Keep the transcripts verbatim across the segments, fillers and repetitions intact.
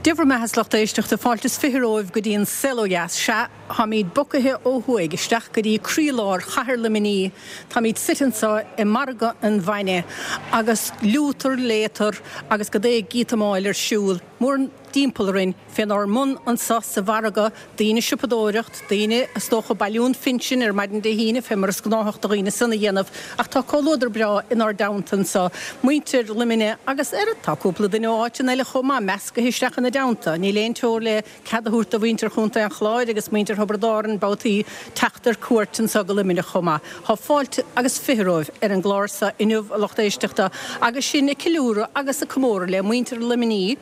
Dia bhur mbeatha, a lucht éisteachta, fáilte is fiche romhaibh go dtí an Saol Ó Dheas. Sea, táimid bogtha ó thuaidh isteach go dtí croílár chathair Luimnigh. Táimid suite anseo i Margadh an Bhainne agus liútar, léatar agus go dté gíotamáil ar siúl mórthimpeall orainn fénár mbun anseo sa mhargadh, daoine ag siopadóireacht, daoine is dócha ag bailiú an phinsin ar maidin Dé hAoine fé mar is gnáthach do dhaoine san a dhéanamh. Ach tá comhluadar breá inár dteannta anseo, muintir Luimnigh agus ar tá cúpla duine ó áiteanna eile chomh maith meascaithe isteach ina dteannta. Níl aon teora le cead a thabhairt do mhuintir Chontae an Chláir agus muintir Thiobraid Árann babhtaí teacht ar cuairt anseo go Luimneach chomh maith. Tá fáilte agus fiche romhaibh ar an gclár seo inniu, a lucht éisteachta, agus sinn ag ceiliúradh agus ag comóradh le muintir Luimnigh,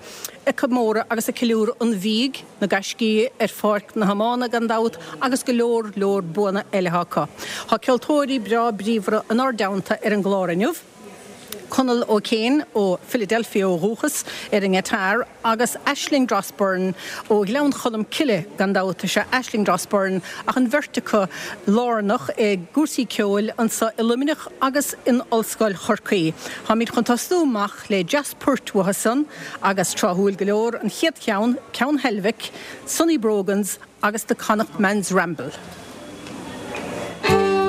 ag comóradh agus ag ceiliúradh an bhídh, na gaiscí ar pháirc na hiomána gan dabht agus go leor leor buanna eile acu. Tá ceoltóirí breá bríomhara inár dteannta ar an gclár inniu. Conall O'Kane ó Philadelphia ó dhúchas ar an ngiotár agus Aisling Dross-Byrne ó Ghleann Cholm Cille gan dabht is ea Aisling Dross-Byrne ach an bheirt acu lárnach i gcúrsaí ceoil anseo i Luimneach agus in Ollscoil Chorcaí. Táimid chun tosnú amach le deas poirt uathu san agus tráthúil go leor an chéad cheann, ceann Heilbhic, Sonny Brogans agus The Connacht Man's Ramble. Thank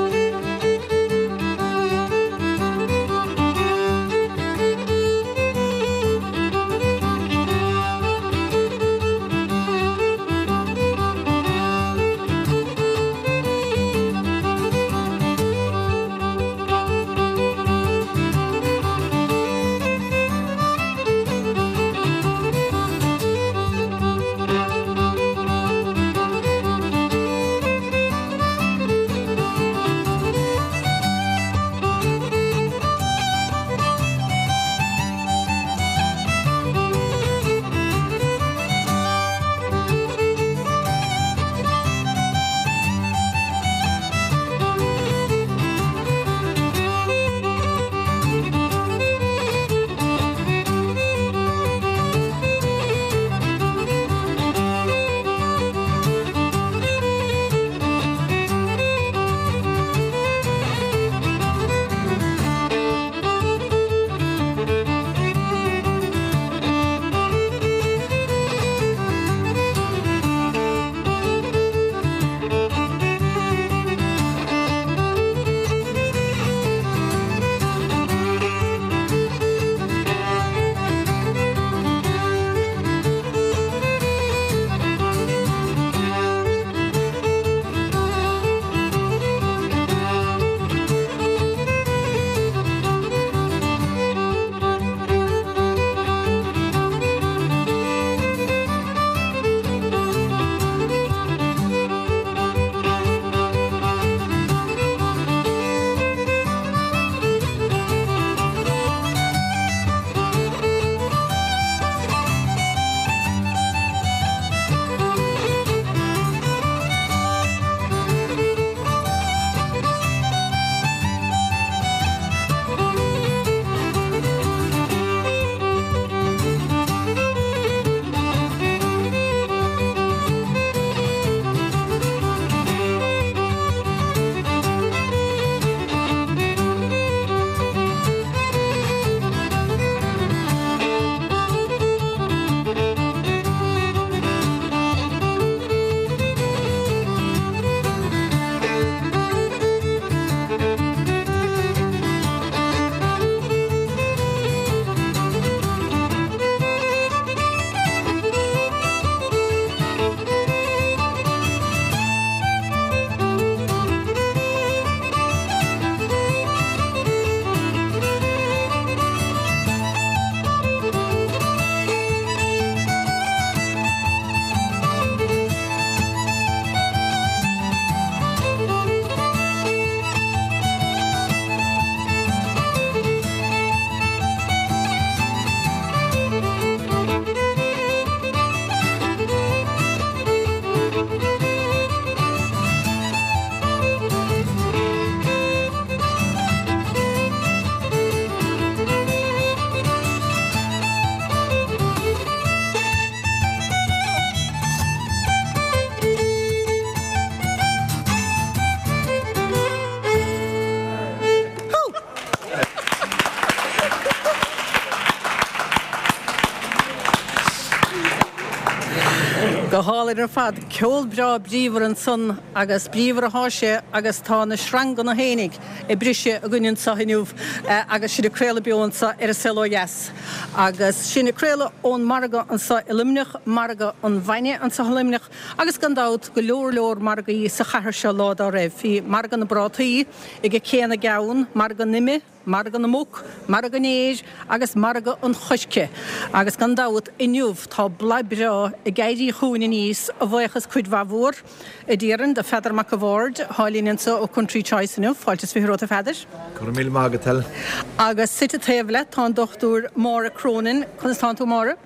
Go hálainn ar fad, ceol breá bríomhar ansan agus bríomhar athá sé agus tá na sreanganna fhéinig ag briseadh againn anso inniu agus sinn ag craoladh beo anso ar An Saol Ó Dheas. Agus sinn ag craoladh ón margadh anso i Luimneach, margadh an bhainne anso i Luimneach agus gan dabht go leor leor margaí sa chathair seo lá dá raibh. Bhí margadh na bprátaí ag Cé na gCeann, margadh na n-ime, Margadh na muc, margadh an fhéir agus margadh an choirce. Agus gan dabht, inniu tá bladh breá ag éirí chugainn aníos, a bhuíochas cuid mhaith mhór, a déarfainn, do Pheadar Mac a' Bhaird, athá linn anso ó Country Choice inniu. Fáilte is fiche romhat, a Pheadair. Go raibh míle maith agat, Helen. Agus suite taobh leat tá an Dochtúir Máire Cronin. Conas tánn tú, a Mháire?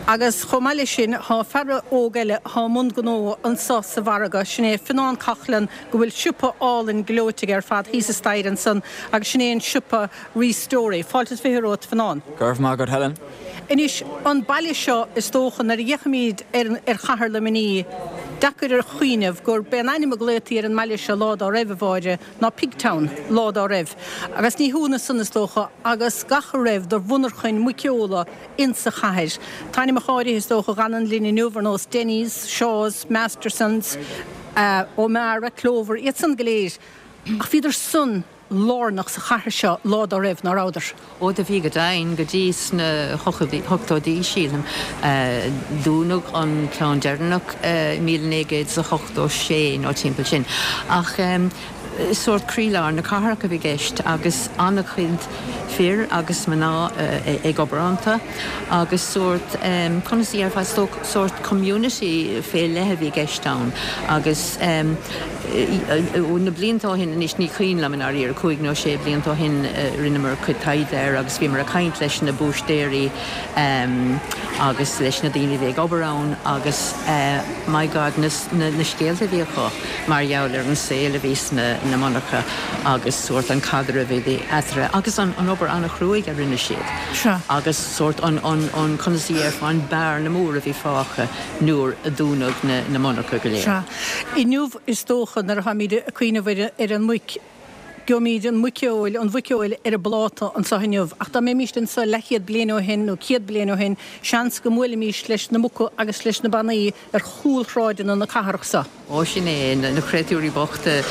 Agus chomh maith leis sin, thá fear óg eile athá i mbun gnó anso sa mhargadh, sin é Fionnán Coughlan, go bhfuil siopa álainn gleoite aige ar fad thíos an staighre ansan, agus sin é an siopa Restory. Fáilte is fiche romhat, Fionnán. Go raibh maith agat, Helen. Anois, an baile seo, is dócha, nuair a fhéachaimíd ar ar chathair Luimní, deacair a chuimhneamh gur b'é an ainm a glaotaí ar an mbaile seo lá dá raibh, a Mháire, ná Pigtown, lá dá raibh. Agus ní hionadh san, is dócha, agus gach a raibh de mhonarchain muiceola insa chathair. Tá ainmneacha áirithe, is dócha, a dh'fhanann linn inniu, ar nós Denny's, Shaw's, Masterson's, O'Meara, Clover, iad san go léir. Ach bhíodar san lárnach sa chathair seo lá dá raibh, ná rabhadar? Ó do bhí go deimhin, go dtí sna hochtóidí, sílim. Dúnadh an ceann deireanach i míle naoi gcéad is a hochtó sé nó timpeall sin. Ach sórt croílár na cathrach a bhí i gceist agus an-chuid fir agus mná ag obair iontu agus sórt, conas a dhéarfá, sórt community fé leith a bhí i gceist ann agus na blianta ó shin anois, ní cuimhin liom i ndáiríre, cúig nó sé blianta ó shin rinneamar cuid taighde air agus bhíomar ag caint leis na búistéirí agus leis na daoine a bhí ag obair ann agus my God na scéalta a bhí acu mar gheall ar an saol a bhí sna na monarcha agus sórt an caidreamh a bhí eatarthu agus an an obair an-chruaidh a rinne siad Sea. agus sórt an an an conas a dhéarfá an bearna mór a bhí fágtha nuair a dúnadh na na monarcha go léir. Sea. Inniu is dócha nuair atáimid ag cuimhneamh ar ar an muic, gheobhaimid an muiceoil, an mhuiceoil ar an bpláta anseo inniu ach dá mbeimíst anseo leathchéad bliain ó shin nó céad bliain ó shin, seans go mbuailfimíst leis na muca agus leis na bannaí ar chúlshráideanna na cathrach seo. Ó sin é, na créatúirí bochta,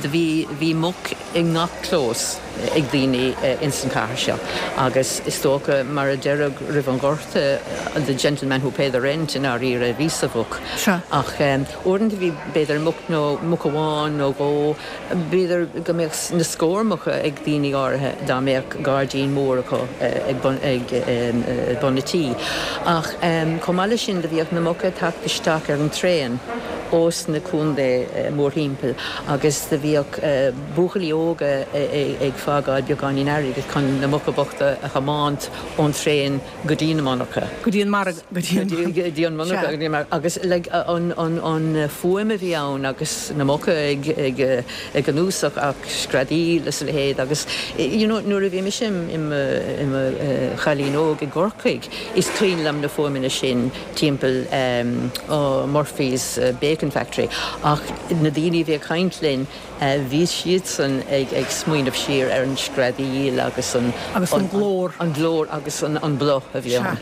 do bhí, bhí muc i ngach clós ag daoine ins an chathair seo agus is dócha, mar a deireadh roimh an Ghorta, the gentleman who paid the rent i ndáiríre a bhí sa mhuc. Sea. Ach uaireanta bhí b'fhéidir muc nó muc amháin nó dhó, b'fhéidir go mbeadh na scór muca ag daoine áirithe dá mbeadh gairdín mór acu ag bun, ag bun a tí. Ach chomh maith leis sin do bhíodh na muca ag teacht isteach ar an traein ós na contaetha mórthimpeall agus do bhíodh buachaillí óga ag fágáil beagáinín airgid chun na muca bochta a thiomáint ón traein go dtí na monarcha. Go dtí an margadh, go dtí an, Go dtí an monarcha, go dtí an margadh. Agus like an, an, an fuaim a bhí ann agus na muca ag, ag, ag gnúsach ach screadaíl is a leithéid agus you know nuair a bhí mise i mo, i mo chailín óg i gCorcaigh is cuimhin liom na fuaimeanna sin timpeall oh Murphy's Bacon Factory ach na daoine a bhí ag caint linn bhí siadsan ag ag smaoineamh siar ar an screadaíl agus an Agus an glór. an glór agus an an bhruth a bhí ann.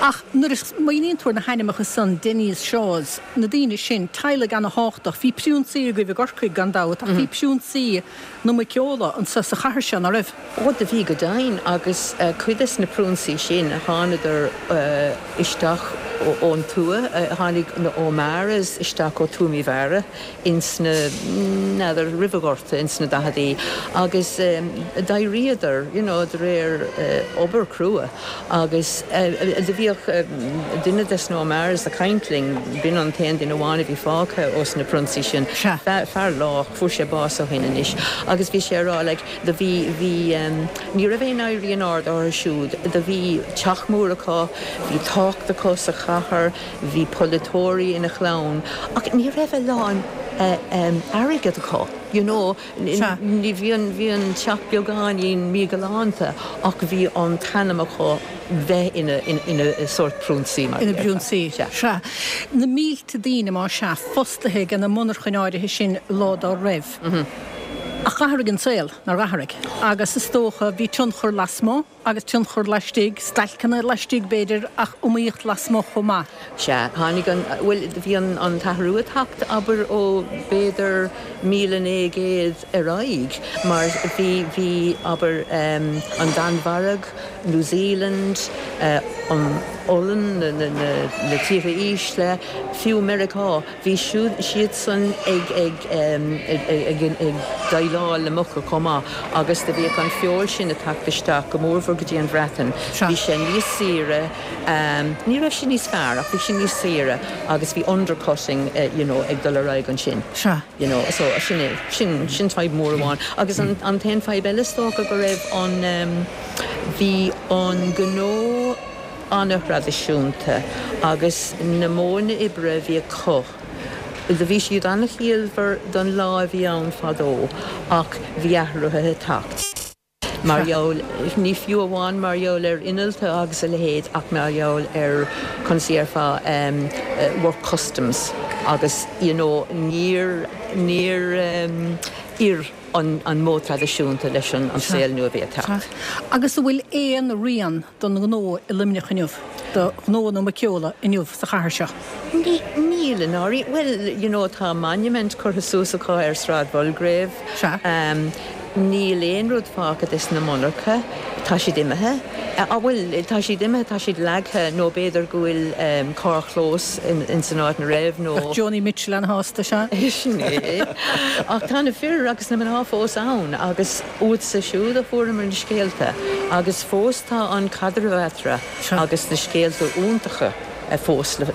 Ach nuair a smaoiníonn tú ar na hainmneacha san, Denny's, Shaw's, na daoine sin, teaghlaigh ana-thábhachtach, bhí priúnsaí agaibh i gCorcaigh gan dabht ach bhí priúnsaí na muiceola anso sa chathair seo, ná raibh? Ó do bhí go deimhin agus cuid des na priúnsaí sin thánadar isteach ón tuath, tháinig na O'Meara's isteach ó Tuaim Uí Mheára ins na, n'fheadar, roimh an Ghorta, ins na daicheadaí agus d'éiríodar, you know, de réir obair crua agus do bhíodh duine des na O'Meara's ag caint linn, b'in an t-aon duine amháin a bhí fágtha ós na prionsaí sin, fear lách, fuair sé bás ó shin anois agus bhí sé ag rá like do bhí, bhí, ní raibh aon éirí in airde orthu siúd, do bhí teach mór acu, bhí tábhacht acu sa chathair, bhí polaiteoirí ina chlann ach ní raibh a lán airgead acu, you know, ní, bhí an, bhí an teach beagáinín míghalánta ach bhí an t-ainm acu bheith ina, ina sórt prionsaí mar Ina bprionsaí, sea. Na mílte daoine, más ea, fostaithe ag na monarchain áirithe sin lá dá raibh. Ach d'athraigh an saol, nár athraigh, agus is dócha bhí tionchar lasmuigh agus tionchar laistigh, stailceanna laistigh b'fhéidir ach iomaíocht lasmuigh chomh maith. Sea, tháinig an, bhuel, bhí an an t-athrú ag teacht, abair, ó b'fhéidir míle naoi gcéad ar aghaidh mar bhí, bhí, abair, an Danmhairg, New Zealand, an Ollainn, na, na, na, na tíortha ísle, fiú Meiriceá, bhí siúd, siadsan ag, ag, ag, ag déileáil le muca chomh maith agus do bhíodh an feoil sin ag teacht isteach go mórmhór go dtí an Bhreatain. Bhí sé níos saoire, ní raibh sé níos fearr ach bhí sé níos saoire agus bhí undercutting you know ag dul ar aghaidh ansin. You know, so sin é, sin, sin fadhb mór amháin. Agus an, an t-aon fadhb eile is dócha go raibh an, bhí an gnó an-thraidisiúnta agus na modhanna oibre a bhí acu, do bhí siad an-chiallmhar don lá a bhí ann fadó ach bhí athruithe ag teacht. Mar gheall, ní fiú amháin mar gheall ar innealta agus a leithéid ach mar gheall ar, conas a dhéarfá, work customs agus you know níor, níor oir an an modh traidisiúnta leis an an saol nua a bhí ag teacht. Agus an bhfuil aon rian don ghnó i Luimneach inniu, do ghnó na muiceola inniu sa chathair seo? Ní, níl i ndáiríre. Bhuel, you know, tá monument curtha suas acu ar Sráid Mhulgrave. Sea. Níl aon rud fágtha des na monarcha. Tá siad imithe. Ah, bhuel, tá siad imithe, tá siad leagtha nó b'fhéidir go bhfuil carrchlós ins an áit ina raibh nó. Bheadh Joni Mitchell an-shásta, sea. Sin é. Ach tá na fir agus na mná fós ann agus uatsa siúd a fuaireamar na scéalta agus fós tá an caidreamh eatarthu agus na scéalta iontacha fós le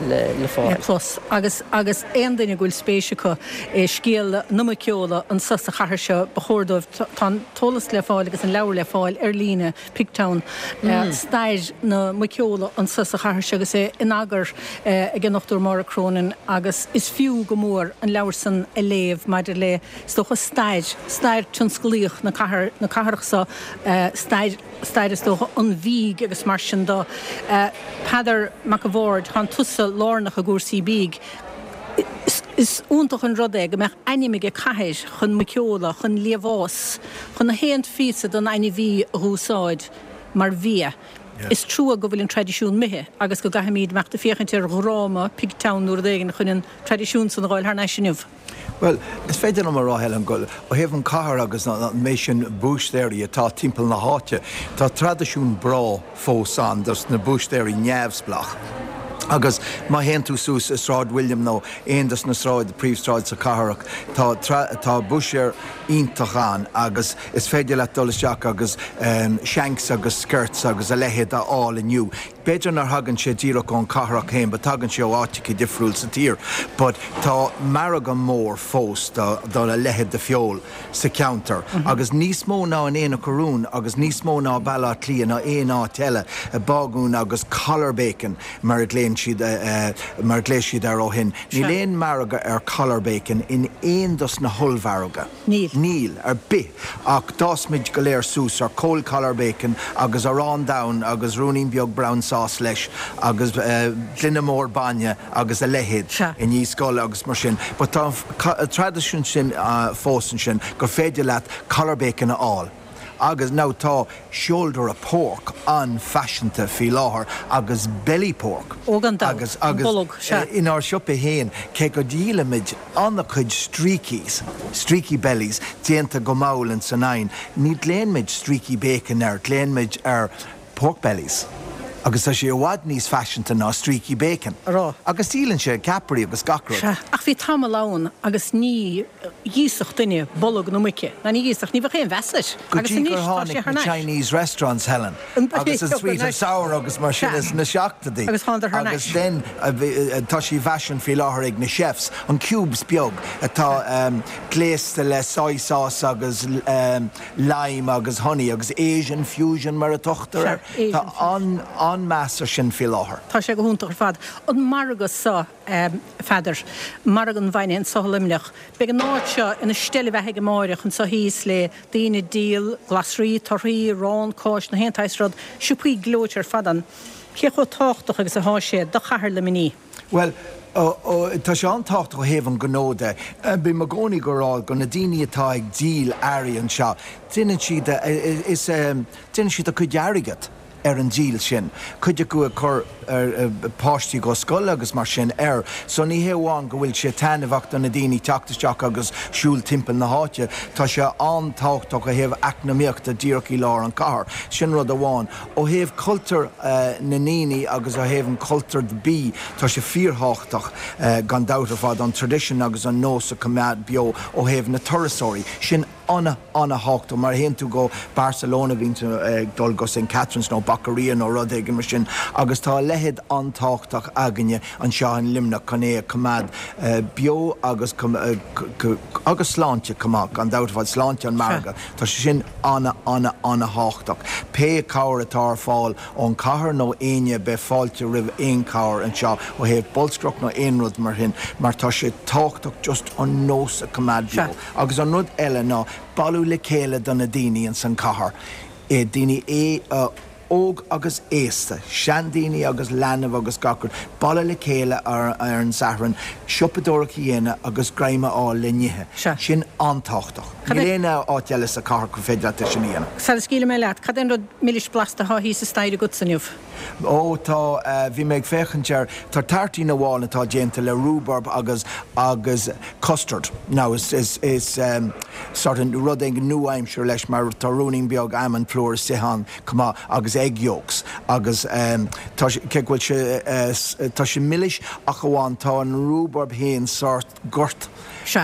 fáil. Le clos. Agus agus aon duine go bhfuil spéis acu i scéal na muiceola anso sa chathair seo, ba chóir dóibh, tá an t-eolas le fáil agus an leabhar le fáil ar líne, Pigtown, stair na muiceola anso sa chathair seo agus é in eagar ag an nDochtúir Máire Cronin agus is fiú go mór an leabhar san a léamh maidir le, is dócha, stair, stair tionsclaíoch na cathair, na cathrach so, stair. stair is dócha an bhídh agus mar sin de. Peadar Mac a' Bhaird, Tánn tusa lárnach i gcúrsaí bídh. Is iontach an rud é go mbeadh ainm aige cathair chun muiceola, chun liamhás, chun na haon phíosa den ainmhí a dh'úsáid mar bhia. Is trua go bhfuil an traidisiún imithe agus go gcaithfimíd imeacht ag féachaint ar dhráma Pigtown nó rud éigin chun an traidisiún san a dh'fháil thar n-ais inniu. Bhuel, is féidir liom a rá, Helen, go, ó thaobh an cathair agus an méid sin búistéirí atá timpeall na háite, tá traidisiún breá fós ann dos na búistéirí neamhspleách. Agus má théann tú suas i Sráid William nó aon dos na sráid, príomhshráid sa cathrach, tá, tá búistéir iontach ann agus is féidir leat dul isteach agus shanks agus skirts agus a leithéid a fháil inniu. B'fhéidir nár thagann sé díreach ón cathrach féin but tagann sé ó áiteacha difriúil sa tír. But tá margadh mór fós do do a leithéid de feoil sa cheantar agus níos mó ná in Aonach Urumhan agus níos mó ná Baile Átha Cliath ná aon áit eile, bágún agus collar bacon mar a ghlaonn siad mar a ghlaoigh siad air ó shin. Níl aon margadh ar collar bacon in aon dos na hollmhargaidh. Níl. Níl, ar bith. Ach d'fhás muid go léir suas ar cold collar bacon agus arán donn agus ruainnín beag brown sauce leis agus gloine mór bainne agus a leithéid i ndiaidh scoile agus mar sin. But tá an traidisiún sin fós ansin gur féidir leat collar bacon a fháil. Agus now tá shoulder of pork an-fhaiseanta faoi láthair agus belly pork. Ó gan dabht, Agus, an agus bolg, sea. inár siopa féin, cé go ndíolaimid an-chuid streakies, streaky bellies, déanta go mall ins an oigheann, ní ghlaonn muid streaky bacon air, glaonn muid air pork bellies. Agus tá sé i bhfad níos faiseanta ná streaky bacon. A rá. Agus díolann sé ceapairí agus gach rud. Sea, ach bhí tamall ann agus ní dh'íosfadh duine bolg na muice. Ná ní dh'íosfadh, ní bheadh aon mheas air. Go Agus dtí anois gur tá sé tháinig thar na n-ais. Chinese restaurants, Helen, agus an sweet and sour agus mar sin Sea. is na seachtaidí. Agus thánadar thar Agus n-ais. then tá sé i bhfaisean faoi láthair ag na chefs, an cubes beag atá gléasta le soy sauce agus lime agus honey agus Asian fusion mar a tugtar air. Sea, Tá Asian fusion. an-meas ar sin faoi láthair. Tá sé go hiontach ar fad. An margadh seo, a Pheadair, margadh an bhainne anso i Luimneach, beidh an áit seo ina steillebheathaidh amáireach anso thíos le daoine ag díol glasraí, torthaí, arán, cáis, na haon tsaghas rud, siopaí gleoite ar fad ann. Cé chomh tábhachtach agus athá sé do chathair Luimnigh? Bhuel, Tá sé an-tábhachtach ó thaobh an gnó de. Bím i gcónaí ag rá go na daoine atá ag díol earraí anseo, déanann siad is déanann siad a cuid airgead ar an díol sin. Cuid acu ag cur páistí go scoil agus mar sin air. So ní hé amháin go bhfuil sé taitneamhach do na daoine teacht isteach agus siúl timpeall na háite, tá sé an-tábhachtach ó thaobh eacnamaíochta díreach i lár an chathair. Sin rud amháin. Ó thaobh cultúr na ndaoine agus ó thaobh an cultúr bídh, tá sé fíorthábhachtach gan dabht ar fad an tradition agus an nós a choimeád beo ó thaobh na turasóirí. Sin ana ana-thábhachtach mar théann tú go Barcelona bíonn tú ag dul go Saint Catherine's nó Boqueria nó rud éigin mar sin agus tá a leithéid an-tábhachtach againne anseo in Luimneach chun é a choimeád beo agus agus sláinte chomh maith gan dabht ar fad sláinte an margadh. Tá sé sin ana ana ana-thábhachtach. Pé cabhair atá ar fáil ón chathair nó éinne beidh fáilte roimh aon chabhair anseo ó thaobh bolscaireacht nó aon rud mar sin mar tá sé tábhachtach just an nós a choimeád beo. Agus an rud eile ná bailiú le chéile do na daoine in san cathair. daoine é óg agus aosta, seandaoine agus leanbh agus gach rud, bailiú le chéile ar, ar an Satharn, siopadóireacht a dhéanamh agus greim a fháil le n-ithe. Sin an-tábhachtach. Níl aon áit eile sa chathair go féidir leat sin a dhéanamh. Sara scaoilfidh mé leat, cad é an rud milis blasta atá thíos an staighre agat inniu? Ó tá bhí mé ag féachaint ar tá tartín amháin atá déanta le rhubarb agus agus custard. Now is is is um, sort of rud éigin nua-aimseartha leis mar tá ruainnín beag almond flour istigh ann chomh maith agus egg yolks agus um, tá sé go bhfuil sé uh, tá sé milis ach amháin tá an rhubarb féin sort goirt.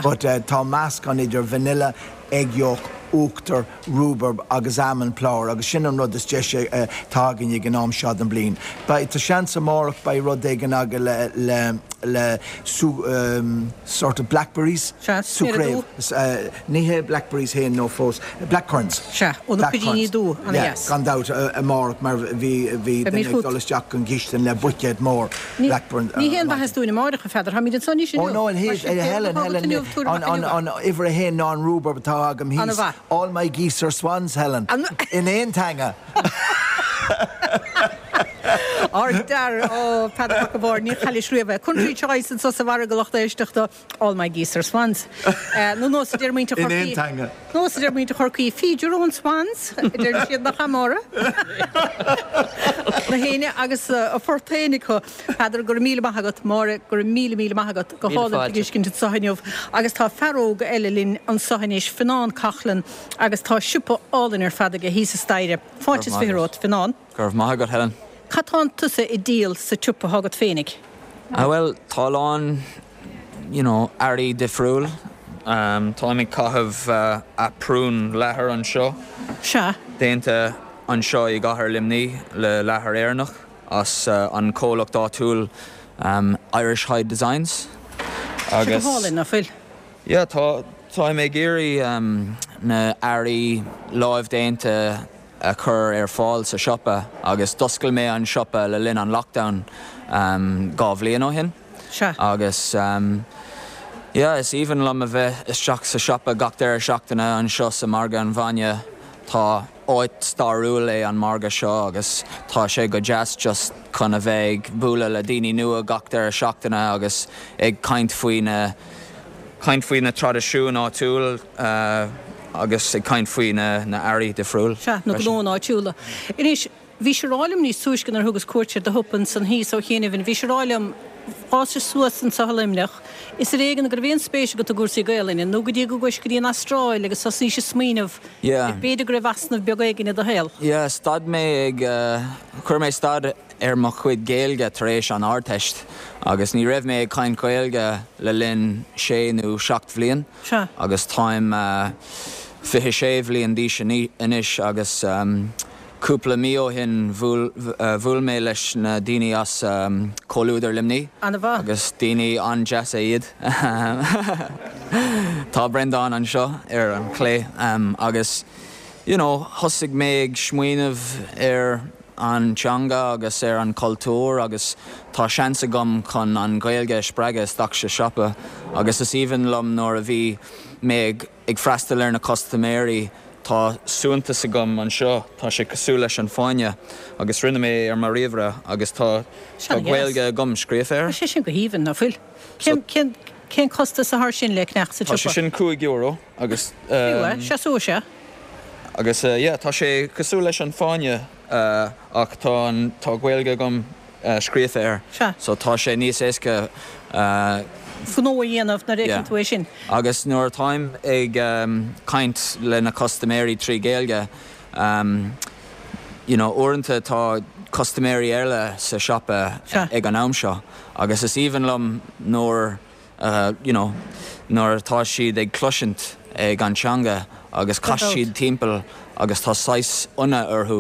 But uh, tá meascán idir vanilla, egg yolk, uachtar, rhubarb agus almond flour agus sin an rud is deise atá againn ag an am seo den bliain. Ba tá seans amárach beidh rud éigin againn le le le sú um, sort of blackberries Súcréamh uh, ní hé blackberries héin nó fós blackcurrants. Se ó na piríní dubha an-deas. Gan dabht amárach mar bhí bhí dul isteach an gistin le buicéad mór blackburn. Ní hé an bhaitheas dúinn amárach a Pheadair, táimid ansan sin Oh no, an Helen Helen an an uimhir a haon ná an rhubarb atá agam thíos. All my geese are swans, Helen. In aon teanga. Ardfhear ó Peadar Mac a' Bhaird ní chaillis riamh. Country Choice anseo sa mhargadh lucht éisteachta All my geese are swans. Nó nós a deir muintir In aon teanga. Nós a deir muintir Chorcaí feed your own swans, deir siad nach amóra. Na héine agus a phort féin acu Peadar go raibh míle maith agat Máire go raibh míle míle maith agat go hálainn tuiscint anseo inniu agus tá fear óg eile linn anseo anois Fionnán Coughlan agus tá siopa álainn ar fad aige thíos an staighre. Fáilte is fiche romhat Fionnán. Go raibh maith agat Helen. Cad tá tusa ag díol sa tsiopa agat féinig? Ah, well tá lán you know, earraí difriúil. Um, Táim ag caitheamh uh, aprún leathair anseo. Se. Déanta anseo i gcathair Luimnigh le leathar Éireannach as uh, an comhlacht áitiúil um, Irish Hide Designs. Agus hálainn nach bhfuil. Yeah, tá táim ag iarraidh um, na earraí lámhdéanta a chur ar fáil sa siopa agus d'oscail mé an siopa le linn an lockdown um, dhá bhliain ó shin. Se. Agus um, yeah, is aoibhinn liom a bheith isteach sa siopa gach deireadh seachtaine anseo sa margadh an bhainne tá áit stairiúil é an margadh seo agus tá sé go deas just chun a bheith ag bualadh le daoine nua gach deireadh seachtaine agus ag caint faoi na caint faoi na traidisiúin áitiúil uh, agus ag caint faoi na na earraí difriúil. Se na gnónna áitiúla. Anois bhí sé rálim níos túisce nuair a thugas cuairt ar do shiopa ansan thíos ó chianaibh, bhí sé rálim fása suas anseo i Luimneach. Is ar éigean go raibh aon spéis agat i gcúrsaí Gaelainne, nó go dtí go gcuais go dtí an Astráil agus thosnaís ag smaoineamh Yeah. b'fhéidir go raibh easnamh beag éigin i do shaol. Yeah, stad mé ag uh, chuir mé stad ar mo chuid Gaeilge tar éis an Ardteist agus ní raibh mé ag caint Gaeilge le linn sé nó seacht bhliain Se. agus táim uh, fiche sé bhliain d'aois anois agus um, cúpla mí ó shin bhuail uh, bhuail mé leis na daoine as um, Comhluadar Luimnigh An-mhaith. agus daoine an-deasa iad. Tá Brendan anseo ar an clé um, agus you know, thosaigh mé ag smaoineamh ar an teanga agus ar an cultúr agus tá seans agam chun an Ghaeilge spreagadh isteach sa siopa agus is aoibhinn liom nuair a bhí mé ag, ag freastal ar na custaiméirí tá suaitheantas agam anseo, tá sé cosúil leis an fáinne agus rinne mé ar mo ríomhaire agus tá tá Gaeilge agam scríofa air. Tá sé sin go haoibhinn, ná fuil? Cén cén costas atá air sin le ceannach sa Tá sé tsiopa? sin cúig euro agus Fiú é, seasóidh sé. agus uh, yeah, tá sé cosúil leis an fáinne uh, ach tá an tá Gaeilge agam uh, scríofa air. Sea. So tá sé níos éasca uh, Gnó a dhéanamh nuair a Yeah. fheiceann tú é sin. Agus nuair táim ag um, caint le na custaiméirí trí Ghaeilge, um, you know, uaireanta tá custaiméirí eile sa siopa Sea. ag an am seo, agus is aoibhinn liom nuair uh, you know, nuair atá siad ag cloisint ag an teanga agus cas siad timpeall agus tá saghas ionadh orthu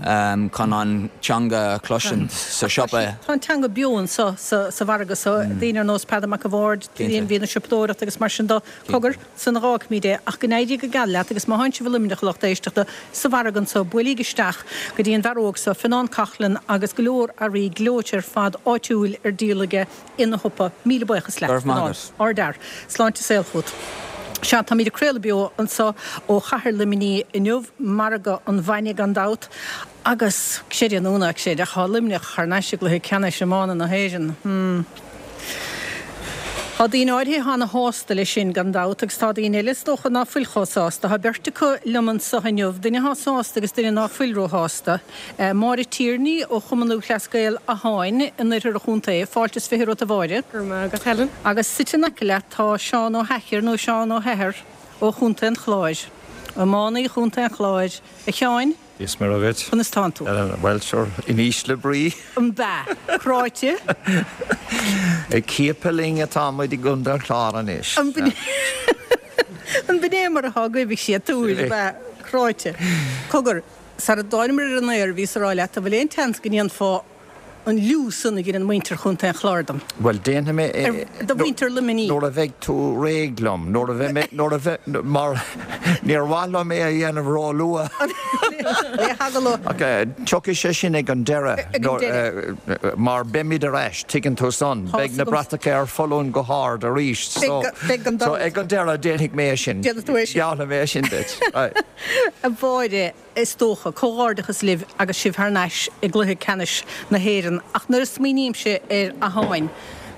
um, chun an teanga a chloisint sa siopa. Tá an teanga beo anseo sa sa mhargadh so daoine ar nós Peadar Mac a' Bhaird, Cinnte. bhí na siopadóireacht agus mar sin de cogar san rácmí é ach go n-éirí go geal leat agus má tánn sibh i Luimneach lucht éisteachta sa mhargadh anseo buailigí isteach go dtí an bhfear óg seo Fionnán Coughlan agus go leor earraí gleoite ar fad áitiúil ar díol aige ina shiopa míle buíochas leat. Go raibh maith agat. Ardfhear, sláinte saoil chugat. Sea táimid ag craoladh beo anseo ó chathair Luimnigh inniu margadh an bhainne gan dabht agus sé núna sé a tá Luimneach thar n-ais i gcluiche ceannais iomána na hÉireann. Hmm. Tá daoine áirithe ana-shásta leis sin gan dabht agus tá daoine eile is dócha ná fuil chomh sásta, Tá beirt acu liom anseo inniu, duine atá sásta agus duine ná fuil róshásta. Eh, Máire Tierney ó Chumann Lúthchleas Gael Atháin in oirthear an chontae, fáilte is fiche romhat a Mháire. Go raibh maith agat Helen. Agus suite in aice leat tá Seán Ó hEithir nó Seán Ó hEithir ó Chontae an Chláir. Iománaí Chontae an Chláir a Sheáin? Is mar agat. Conas tánn tú. Well sure in ísle brí. An ba Cráite Ag ciapadh linn atá muid i gContae an Chláir anois. An b'in é mar atá agaibh sé túil ba cráite. Cogar sar a dtáingamar ar an aer bhíos ag rá leat a bhfuil aon tseans go ndéanfá an liú san a dhein muintir Chontae an Chláir dom. Well déanfaidh mé Ar- do mhuintir Luimnigh. Nuair a bheidh tú réidh liom, nuair a bheidh mé nuair a bheith mar níor mhaith liom é a dhéanamh róluath. Le hagallamh. Ok, tiocfaidh sé sin ag an deireadh Ag an deireadh. eh, mar beimid ar ais tuigeann tú san, beidh na agam. bratacha ar foluain go hard arís. So Beidh- beidh an so dul. ag an deireadh déanfaidh mé sin. Déanfaidh tú é sin. Geallfaidh mé sin duit. Right. A Mháire is dócha comhghairdeachas libh agus sibh thar n-ais i gcluiche ceannais na hÉireann ach nuair a smaoinímse ar Atháin.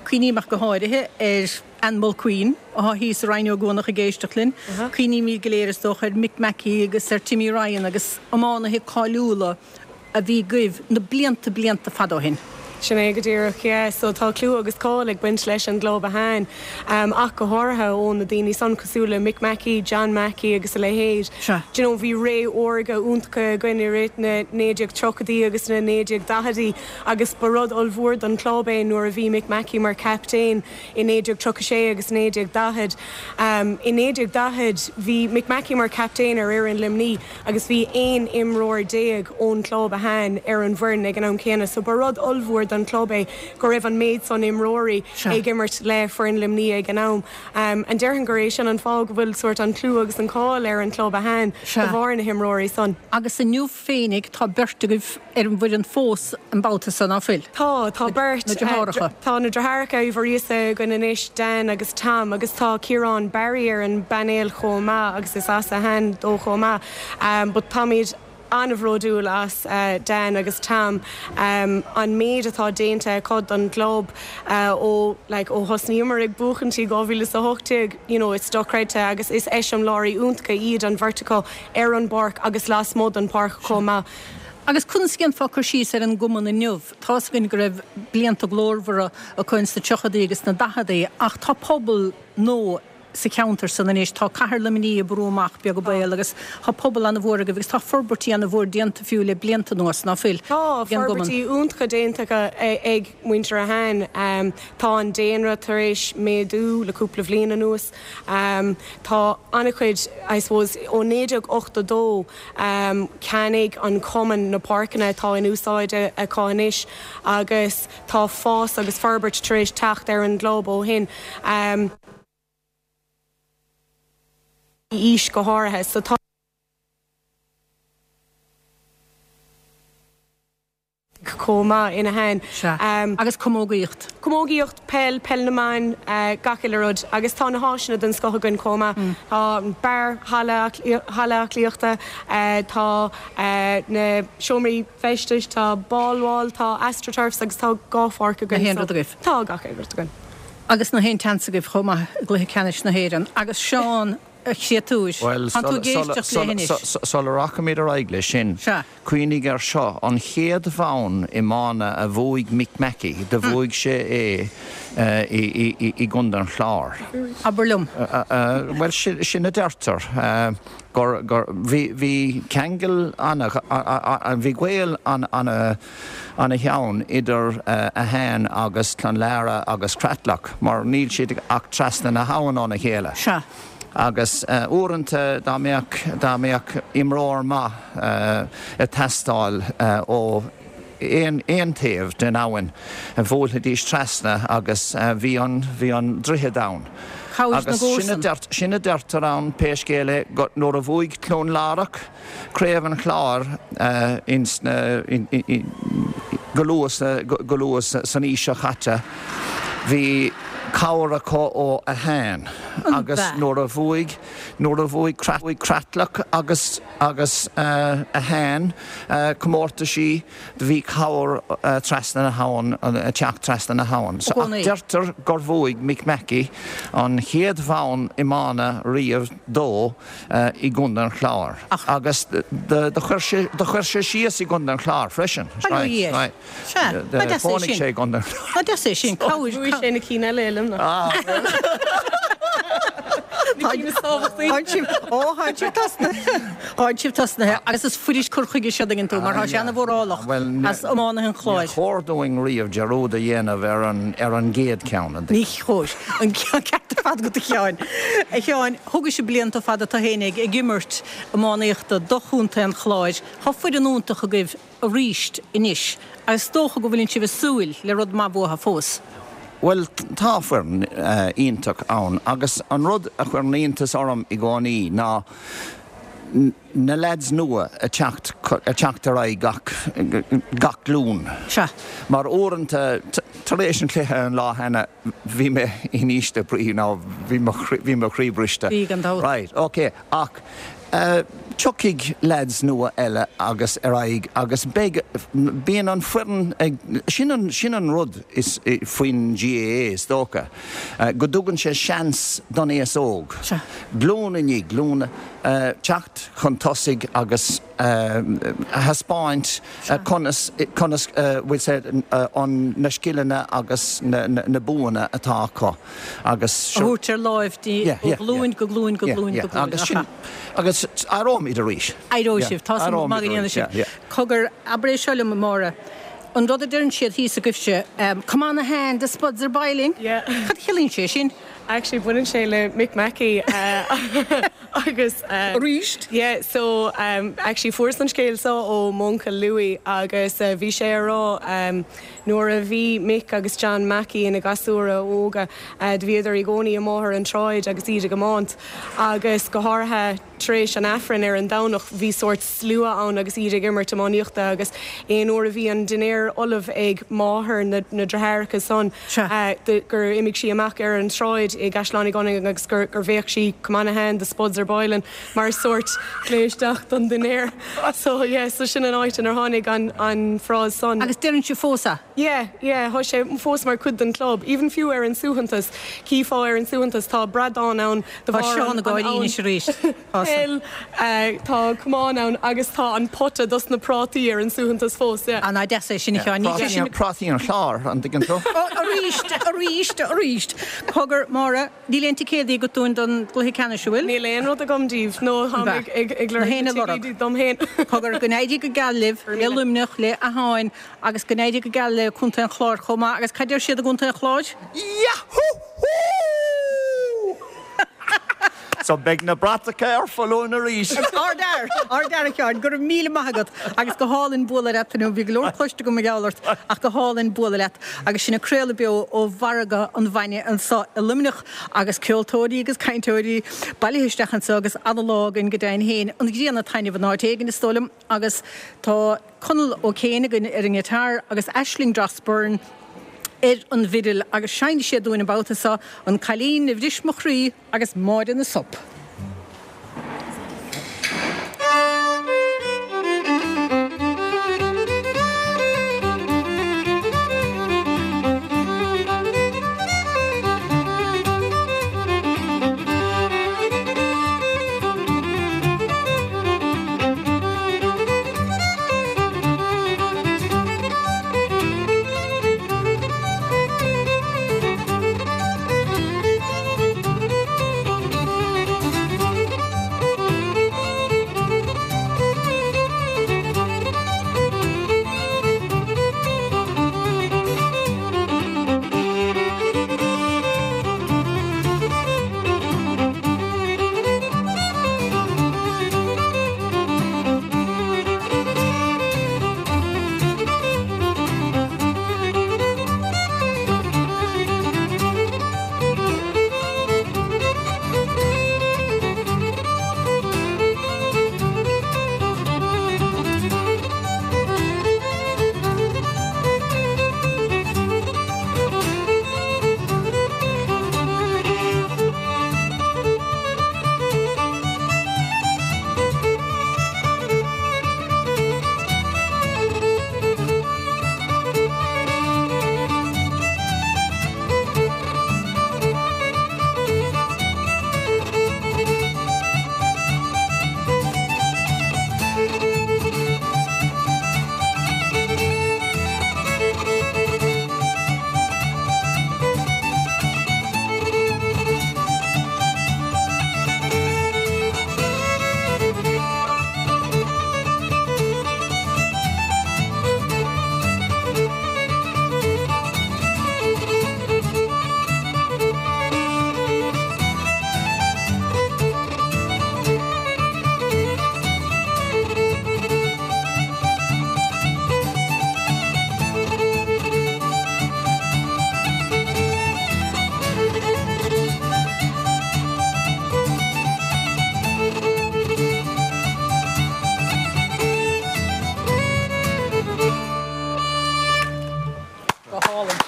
Cuimhním ach go háirithe ar Ann Mulqueen atá thíos sa raidió gcónach ag éisteacht linn. Cuimhnímid go léir is dócha ar Mick Mackey agus ar Timmy Ryan agus iománaithe cáiliúla a bhí agaibh na blianta blianta fada ó shin. Sin é go díreach yeah, so tá clú agus cáil ag baint leis an gclub Atháin um, ach go háirithe ó na daoine san cosúil le Mick Mackey, John Mackey agus a leithéid. Sea. Do you know, bhí ré órga iontach againn i rith na naoi déag tríochaidí agus na naoi déag daichidí agus ba rud ollmhór don club é nuair a bhí Mick Mackey mar captaen i naoi déag tríocha sé agus naoi déag daichead. Um, I naoi déag daichead bhí Mick Mackey mar captaen ar fhoireann Luimnigh agus bhí aon imreoir déag ón club Atháin ar an bhfoireann ag an am céanna, so ba rud ollmhór don club é go raibh an méid san imreoirí Sea. ag imirt le foireann Luimnigh ag an am. Um, an déarfainn gur é sin an fáth go bhfuil sort an clú agus an cáil ar an club Atháin Sea. de bharr na himreoirí san. Agus inniu féinig tá beirt agaibh ar an bhfoireann fós an babhta san ná fuil. Tá tá beirt na deartháireacha. eh, Tá na deartháireacha Uí Mhuiríosa againn anois Dan agus Tom agus tá Ciarán Barry ar an bpainéal chomh maith agus is as Atháin dó chomh maith. Um, but táimid an-bhródúil as uh, Dan agus Tom um, an méid atá déanta acu don club uh, ó like, ó thosnaíomar ag buachaint i dhá mhíle a hocht déag you know, it's dochreidte agus is eiseamláirí iontacha iad an bheirt acu ar an bpáirc agus lasmuigh den pháirc chomh maith. Agus conas a dhéanfá cur síos ar an gcumann inniu, Tá gin go raibh blianta glórmhara acu sna tríochaidí agus na daichidí ach tá pobal nua sa cheantar san anois tá cathair Luimnigh ag brú amach beag béal agus tá pobal an-mhór agaibh agus tá forbairtí an-mhór déanta fiú le blianta anuas ná fuil. Tá ag an gcumann. forbairtí iontacha déanta ag muintir Atháin um, tá an daonra tar éis méadú le cúpla bliain anuas. Um, tá an-chuid I suppose ó naoi déag ochtó dó um, cheannaigh an cumann na páirceanna atá in úsáid acu anois agus tá fás agus forbairt tar éis teacht ar an gclub ó shin. Um, aois go háirithe, so tá chomh maith in Ahane. Sea. Agus camógaíocht. Camógaíocht, peil, peil na mban, gach uile rud. Agus tá na háiseanna den scoth againn chomh maith. Tá an beár, halla halla aclaíochta, tá na seomraí feistis, tá ball wall, tá astroturfs agus tá dhá pháirc againn. Na haon rud agaibh? Tá gach aon rud againn. Agus na haon tseans agaibh chomh maith i gcluiche ceannais na hÉireann. Agus Seán, a chréatúir, tánn tú ag éisteacht léi anois. Sula rachaimid ar aghaidh leis sin, cuimhnigh air seo, an chéad bhonn iomána a bhuaigh Mick Mackey, do bhuaigh sé é i gContae an Chláir. Abair liom. Bhuel, sin a deirtear, gur, gur, bhí, bhí ceangal ana, bhí gaol ana, ana-theann idir Ahane agus Clonlara agus Creatlach, mar níl siad ach trasna na habhann óna chéile. Sea. Agus uaireanta dá mbeadh, dá mbeadh imreoir maith ag teastáil ó aon, aon taobh den abhainn, bhuailfidís trasna agus bhí an, bhí an droichead ann. Cabhair na Agus sin a gcomharsan. deir, sin a deirtear ann, pé scéal é, go, nuair a bhuaigh Clonlara Craobh an Chláir ins na, in, in, in, go luath sa, go luath san aois seo caite, bhí cabhair acu ó Ahane agus nuair a bhuaigh, nuair a bhuaigh Creatlach agus, agus Ahane comórtaisí, do bhí cabhair trasna na habhann, ag teacht trasna na habhann. So, ach deirtear gur bhuaigh Mick Mackey an chéad bhonn iomána riamh dó i gContae an Chláir. Agus do chuir sé, do chuir sé síos i gContae an Chláir freisin. Bail ó Dhia air. Sea, ba deas é Chónaigh sin. sé i gContae an Chláir. Ba deas é sin. Cabhair. Bhuaigh sé na cinn eile i Luimneach. Ah, bhuel. Na cinn is tábhachtaí. Tháinig sibh, ó, tháinig sibh tosnaithe. Tháinig sibh tosnaithe agus is fuirist cur chuige seo an dtuigeann tú, mar tá sé ana-mhórálach as iománaithe an Chláir. Níor chóir dúinn riamh dearúd a dhéanamh ar an, ar an gcéad ceann, an Ní chóir. An ceart ar fad agat a Sheáin. A Sheáin, thógaís blianta fada tú féin ag ag imirt iománaíochta do chontae an Chláir. Tá foireann iontach agaibh arís anois agus is dócha go bhfuileann sibh ag súil le rud maith uathu fós. Bhuel, tá foireann iontach ann agus an rud a chuireann iontas orm i gcónaí ná na leaids nua ag teacht ag teacht ar aghaidh gach gach glúin. Sea. Mar uaireanta, tar éis an chluiche an lá cheana, bhí mé in ísle brí nó bhí mo bhí mo chroí briste. Bhí, gan dabht. Right, ok, ach tiocfaidh leaids nua eile agus ar aghaidh agus beidh, bíonn an foireann ag, sin an, sin an rud is, faoin GAA is dócha, go dtugann sé seans don aos óg, glúin i ndiaidh glúine, teacht chun tosaigh agus a thaispeáint conas, conas, bhfuil sé, an, na scileanna agus na, na buanna atá acu agus. A thabhairt ar láimh di ó ghlúin go glúin go glúin go glúin. Agus sin, agus éireoimid arís. Éireoidh sibh, tá súil go ndéanfaidh sibh. Cogar, abair é seo liom, a Mháire, an rud a deireann siad thíos agaibhse, come on Ahane, the spuds are boiling. Cad a chiallaíonn sé sin? Actually baineann sé le Mick Mackey agus. Arís? Yeah, so actually fuaireas an scéal seo ó m'uncail Louis agus bhí sé a rá nuair a bhí Mick agus John Mackey ina gasúra óga do bhíodar i gcónaí amuigh ar an tsráid agus iad ag iomáint agus go háirithe tar éis an Aifrinn ar an Domhnach bhí sórt slua ann agus iad ag imirt iománaíochta agus aon uair a bhí an dinnéar ullamh ag máthair na ndeartháireacha san gur imigh sí amach ar an tsráid i gCaisleán Uí Ghonnaing agus gur bhéic sí Come on Ahane, the spuds are boiling mar sórt glaoch isteach don dinnéar. So yeah, so sin an áit inar tháinig an an frása san. Agus deireann sibh fós é? Yeah, yeah, tá sé fós mar chuid den club. Even fiú ar an suaitheantas, chífeá ar an suaitheantas tá bradán ann de Tá bharr Seán an ag gáirí anois arís. Peil, tá camán ann agus tá an pota dos na prátaí ar an suaitheantas fós, yeah. An deas é sin a Sheáin? Ní sin. Prátaí an Chláir, an dtuigeann tú? Arís, arís, arís. Cogar, Máire, níl aon ticéadaí agat dúinn don gcluiche ceannais, an bhfuil? Níl aon rud agam daoibh, nó táim ag, ag, ag lorg Na na ticéadaí dom féin. Cogar, go n-éirí go geal libh, le Luimneach, le Ahane, agus go n-éirí go geal le Contae an Chláir chomh maith. Agus cad deir siad i gContae an Chláir? Yahoo! So beidh na bratacha ar foluain arís. Ardfhear, ardfhear a Sheáin, go raibh míle maith agat agus go hálainn bualadh leat inniu. Bhí go leor cloiste agam mar gheall ort ach go hálainn bualadh leat agus sinn ag craoladh beo ó Mhargadh an Bhainne anseo i Luimneach agus ceoltóirí agus cainteoirí bailithe isteach anseo agus ana-lá againn go deimhin féin. An ghrian ag taitneamh in áit éigin is dóigh liom agus tá Conall Ó Céin againn ar an ngiotár agus Aisling Dross Byrne ar an bhfidil agus seinnfidh siad dúinn an babhta seo An Cailín a Bhris Mo Chroí agus Máire na Sop. Go hálainn.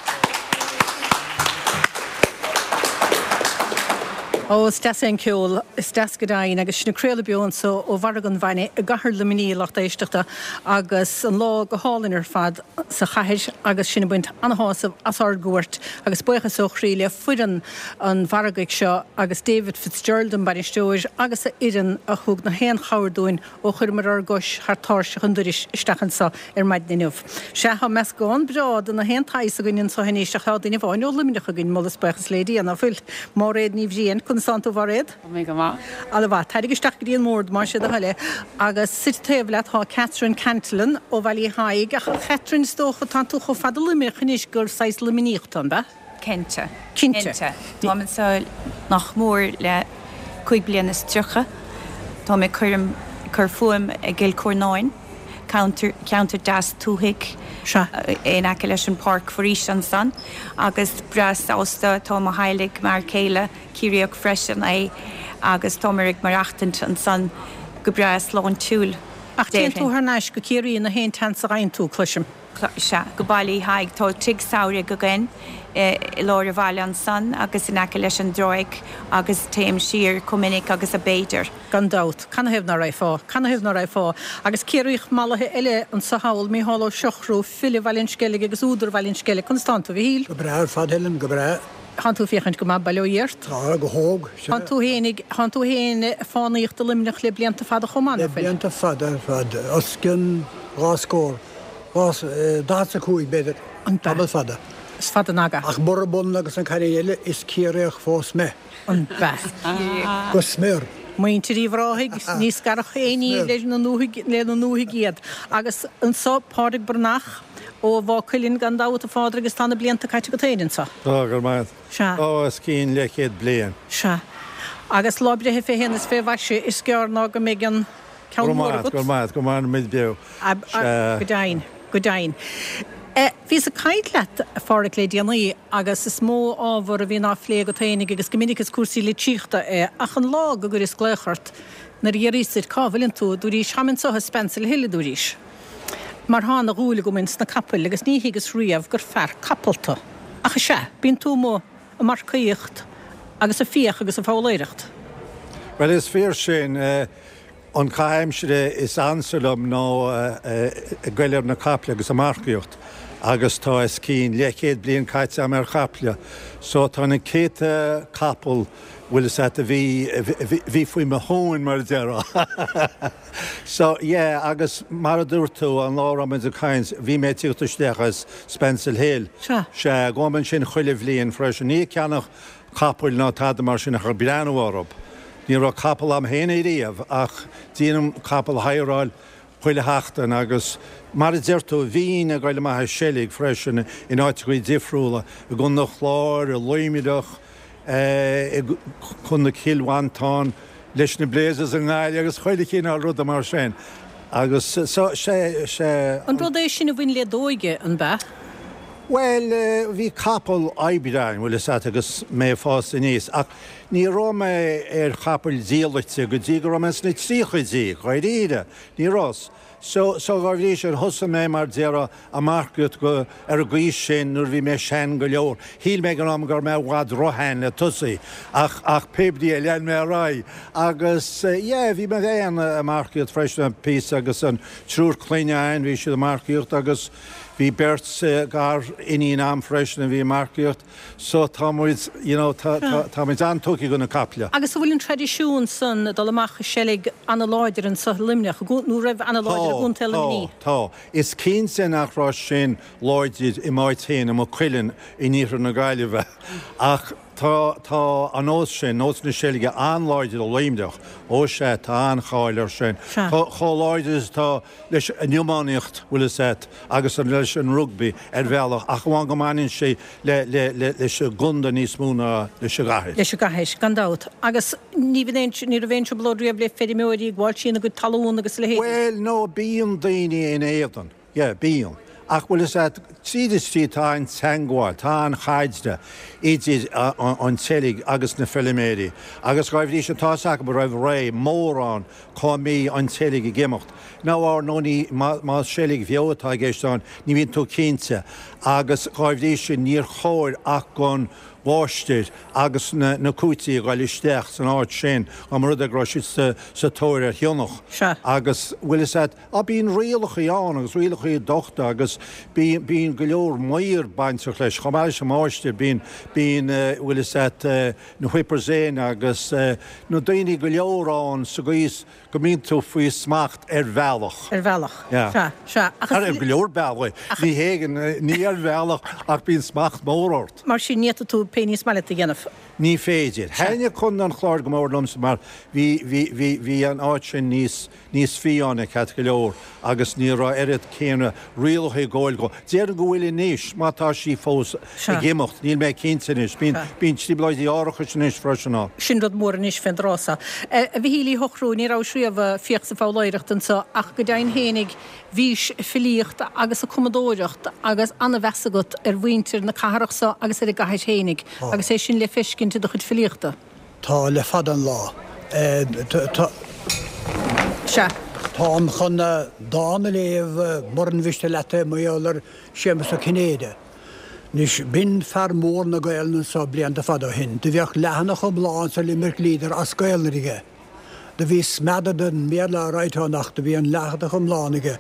Ó, is deas é an ceol, is deas go deimhin, agus sinn ag craoladh beo anseo ó Mhargadh an Bhainne i gcathair Luimnigh, lucht éisteachta, agus an lá go hálainn ar fad sa chathair agus sinn ag baint ana-shásamh as ár gcuairt agus buíochas ó chroí le foireann an mhargaidh seo agus David Fitzgerald an bainisteoir agus a fhoireann a thug na haon chabhair dúinn ó chuireamar ár gcois thar tairseach an dorais isteach anseo ar maidin inniu. Sea, tá meascán breá de na haon tsaghas againn anseo anois ach tá duine amháin ó Luimneach againn, moladh is buíochas le Dia, ná fuil? Máiréad Ní Bhriain, conas tánn tú, a Mháiréad? Tá mé go maith. Ana-mhaith. Tarraing isteach go dtí an mbord, más é do thoil é. Agus suite taobh leat tá Catherine Cantillon ó Bhaile Uí Thaidhg. Ach a Chatherine, is dócha, tánn tú chomh fada Luimneach anois gur saghas Luimníoch tú, an ea? Cinnte. Cinnte. Táim anseo nach mór le cúig bliana is tríocha. Tá mé cuirim cur fúm i gCill Chornáin, ceantar ceantar deas tuaithe Sea. in aice leis an páirc foraoise ansan agus breá sásta tá mo theaghlach m'fhear céile Ciarraíoch freisin é agus táimid ag maireachtaint ansan go breá sláintiúil Ach téann tú déarfainn. thar n-ais go Ciarraí na haon tseans a fhaigheann tú, cloisim. Sea, go Baile Uí Thaidhg. Tá tigh samhraidh againn i lár an bhaile ansan agus in aice leis an dtráigh agus téim siar chomh minic agus ab fhéidir. Gan dabht. Canathaobh ná raghfá? Canathaobh ná raghfá? Agus Ciarraíoch mallaithe eile anso thall, Mícheál Ó Siochrú, file Bhaile an Sceilg agus údar Bhaile an Sceilg. Conas tánn tú, a Mhichíl? Go breá ar fad, Helen, go breá. Tánn tú ag féachaint go maith, bail ó Dhia ort. Tá, go hóg, sea. Tánn tú fhéinig, tánn tú fhéin ag fánaíocht i Luimneach le blianta fada chomh maith, Le ná fuil? blianta fada ar fad, os cionn dhá scór, dhá, daichead is a cúig, b'fhéidir. An ea? Tamall fada. Is fada an aga. Ach murab ionann agus an cailín eile, is Ciarraíoch fós mé. An ea? Go smior. Muintir Uíbh Ráthaigh, ní scarfadh aon ní leis na ndúthaigh, lena ndúthaigh iad. Agus anso, Pádraig Breathnach ó Mhaigh Cuilinn, gan dabht, a Phádraig, agus tá na blianta caite agat féin anso. Tá, go raibh maith agat. Sea. Tá os cionn leathchéad bliain. Sea. Agus lá breithe fé shéan is fé mhaise, is gearr ná go mbeidh an ceann mór agat. Go raibh maith agat, go mairimid beo. Go deimhin, go deimhin. Bhíos ag caint leat, a Pháraic, le déanaí agus is mó ábhar a bhíonn á phlé agat fhéinig agus go minic is cúrsaí litríochta é, ach an lá go gcuireas glaoch ort nuair a d'fhiafraíos díot cá bhfuileann tú, dúraís, táim anso i Spancil Hill, a dúraís. Mar thá ana dhúil agam ins na capaill agus ní thuigeas riamh gur fear capall tú. Ach is ea, bíonn tú amuigh ag marcaíocht agus ag fiach agus ag foghlaeireacht. Bhuel, is fíor sin. An caitheamh aimsire is ansa liom ná ag goil ar na caiple agus ag marcaíocht agus tá os cionn leathchéad bliain caite agam ar chaiple so tá na céadta capall bhfuil fhios a't a bhí bhí faoi mo thóin mar a déarfá. So yeah agus mar a dúirt tú an lá a raibh muid ag caint bhí mé ag tíocht isteach as Spancil Hill. Sea. Sea, gabhaim ansin chuile bhliain freisin. Ní ag ceannach capaill ná tada mar sin ach ag breathnú orthu. Ní raibh capall a'm féin ariamh ach déanaim capall a hireáil chuile sheachtain agus mar a deir tú, bhínn ag goil amach ag seilg freisin in áiteachaí difriúla, i gContae an Chláir, i Luimneach, i gContae Chill Mhantáin, leis na Blazers i nGaillimh agus chuile chineál ruda mar sin. Agus so, sé, sé. An rud é sin a bhain le d'óige, an b'ea? Bhuel, bhí capall oibre a'inn, bhfuil fhios a't, agus mé ag fás aníos, ach ní raibh mé ar chapaill diallaite go dtí go raibh mé sna tríochaidí, dháiríre, ní raibh. So, so dhá bhrí sin, thosaigh mé, mar déarfá, ag marcaíocht go, ar an gcaoi sin nuair a bhí mé sean go leor. Shíl mé ag an am go raibh mé i bhfad ro-shean le tosaí, ach, ach pé brí é, lean mé ar aghaidh. Agus, yeah, bhí mé féin ag marcaíocht freisin, píosa, agus an triúr clainne a'inn, bhí siad ag marcaíocht agus, Bhí beirt gar-iníon a'm freisin a bhí ag marcaíocht so tá muid, you know, tá, tá, tá muid an-tugtha do na caiple. Agus an bhfuil an traidisiún san dul amach ag seilg ana-láidir anso i Luimneach, nó raibh ana-láidir i gContae Luimnigh? Tá, tá. Is cinnte nach raibh sin láidir i m'áit féin, i Maigh Cuilinn, in iarthar na Gaillimhe ach tá, tá an nós sin, nós na seilge an-láidir i Luimneach. Ó sea, tá an-cháil air sin. Sea. Chomh láidir is atá leis an iománaíocht, bhfuil fhios a't, agus leis an rugbaí ar bhealach, ach amháin go mbaineann sé le, le, le, leis an gcontae níos mó ná leis an gcathair. Leis an gcathair, gan dabht. Agus ní bhíonn aon, ní raibh aon trioblóid riamh le feirmeoirí ag gabháil trína gcuid talún agus a leithéidí? Bhuel, no, bíonn daoine in éadan. Yeah, bíonn. Ach bhfuil fhios a't, tríd is tríd tá an teangmháil, tá an chaidreamh idir an tseilg agus na feiliméirí. Agus dhá bhrí sin, tá fhios acu roimh ré, mórán, cá mbíonn an tseilg ag imeacht. Now, ar ndóigh, ní, más seilg bheo atá i gceist ann, ní bhíonn tú cinnte. Agus dhá bhrí sin, níor chóir ach don mháistir agus na na cúití a ghoil isteach san áit sin dá mba rud é go raibh siad sa sa tóir ar shionnach. Sea. Agus, bhfuil fhios a't, á bíonn rialachaí ann agus rialachaí dochta agus bíonn bíonn go leor maor bainteach leis. Chomh maith leis an máistir bíonn bíonn bhfuil fhios a't na whippers in agus na daoine go leor ann sa gcaoi is go mbíonn tú faoi smacht ar bhealach. Ar bhealach. Yeah. Sea, sea. Ach Ar go leor bealaí. Ní hé, ní ar bhealach ach bíonn smacht mór ort. Mar sin ní fhéadfaidh tú pé ní is maith leat a dhéanamh. Ní féidir. Thaitnigh Contae an Chláir go mór liomsa mar bhí, bhí, bhí, bhí an áit sin níos, níos fiáine ceart go leor agus ní raibh oiread céanna rialacha ag gabháil dhó. Déarfainn go bhfuil anois, má tá sí fós Sea. ag imeacht, níl mé cinnte anois. Bíonn, Sea. bíonn trioblóidí árachais anois freisin ann. Sin rud mór anois fén dtráth so. A Mhichíl Uí Shochrú, ní rabhais riamh ag fiach 's ag foghlaeireacht anso ach go deimhin fhéinig bhís ag filíocht agus ag cumadóireacht agus ana-mheas agat ar mhuintir na cathrach so agus ar an gcathair fhéinig agus é sin le feiscint i do chuid filíochta. Tá, le fada an lá. Tá. Sea. Táim chun dán a léamh, muran mhiste leat é, mar gheall ar Séamus Ó Cinnéide. Anois, b'in fear mór na Gaelainne anso blianta fada ó shin. Do bheadh leathanach iomlán sa Limerick Leader as Gaelainn aige. Do bhí smeadar den mBéarla á ráit ann ach do bhí an leathanach iomlán aige.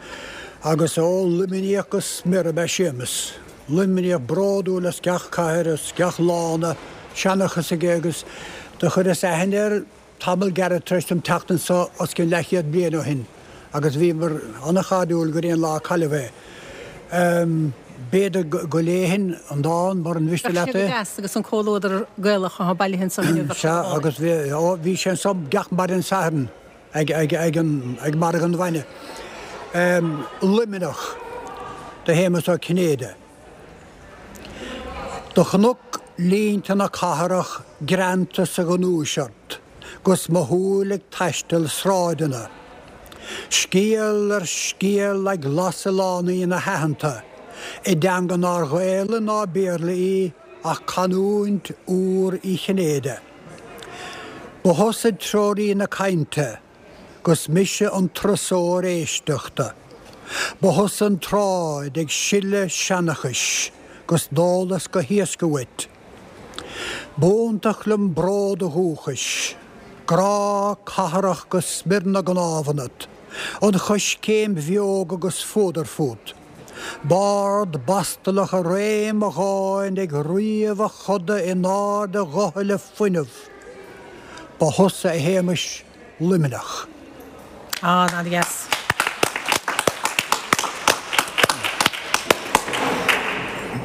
Agus ó Luimníoch go smior ab ea Séamus. Luimníoch bródúil as gach cathair, as gach lána, seanchas aige agus do chuireas aithne air tamall gairid tar éis dom teacht anso os cionn leathchéad bliain ó shin agus bhíomar ana-chairdiúil go dtí an lá a cailleadh é. B'fhéidir go léifinn an dán, muran mhiste Bheadh leat sé go é. deas agus an comhluadar Gaelach atá bailithe anso inniu, bheadh sé Sea, go hálainn. agus bhí, ó, bhí sé anso gach maidin Sathairn ag, ag, ag an, ag margadh an bhainne. Luimneach do Shéamus Ó Cinnéide. Do chonac línte na cathrach greanta sa ghnúis ort. 'gus mo shúil ag taisteal sráideanna. Scéal ar scéal ag lasadh lánaí na haitheanta, i dteanga nár Ghaelainn ná Béarla í ach canúint úr Uí Chinnéide. Ba thusa treoraí na cainte, 'gus mise an turasóir éisteachta. Ba thusa an tsráid ag sileadh seanchais, 'gus d'eolas go héasca uait. B'iontach liom bród an dhúchais, grá cathrach go smior na gcnámh ionat, an choiscéim bheoga 'gus fuadar fút. Bard Bostalach i réim a dháin ag ríomh a choda in airde a ghutha le fuinneamh. Ba thusa, a Shéamais, Luimneach. Ah, an-deas.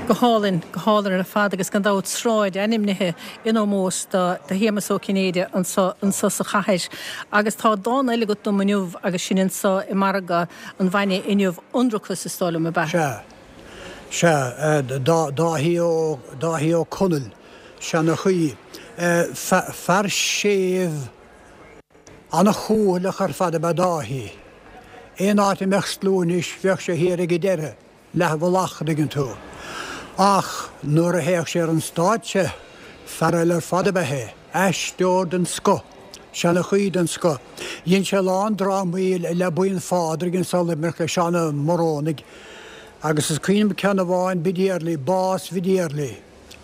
Go hálainn, go hálainn ar fad agus gan dabht sráid ainmnithe in ómós do Shéamus Ó Cinnéide anseo anseo sa chathair. Agus tá dán eile agat dom inniu agus sinn anseo i Margadh an Bhainne inniu, Ionracas is dóigh liom, ab ea? Sea. Sea. Dáithí Ó, Dáithí Ó Conaill, seanchaí. Fear séimh an-chúthaileach ar fad ab ea Dáithí. Aon áit a mbeadh slua anois bheadh sé thiar ag an deireadh. Leathmhullach, an dtuigeann tú. Ach nuair a théadh sé ar an stáitse, fear eile ar fad ab ea é. Aisteoir den scoth. Seanchaí den scoth. Dhein sé a lán drámaí le Buíon Phádraig anso i Luimneach le Seán Ó Morónaigh. Agus is cuimhin liom ceann amháin, Bidéarlaí, Bás Bhidéarlaí.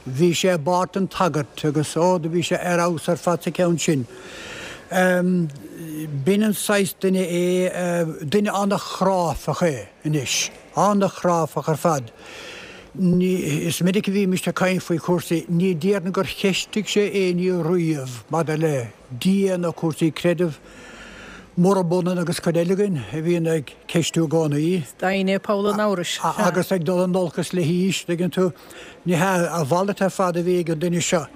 Bhí sé i bpáirt an tsagairt agus, ó, do bhí sé ar fheabhas ar fad sa cheann sin. B'in an saghas duine é, duine an-chráifeach é anois, an-chráifeach ar fad. Ní, is minic a bhímist ag caint faoi chúrsaí, ní déarfainn gur cheistigh sé éinne riamh maidir le Dia nó cúrsaí creidimh, murab ionann agus cuid eile againn a bhíonn ag ceistiú i gcónaí. Is doimhne poll an amhrais. Agus ag dul in olcas le haois, tuigeann tú. Ní hea, a mhalairt ar fad a bhí ag an duine seo.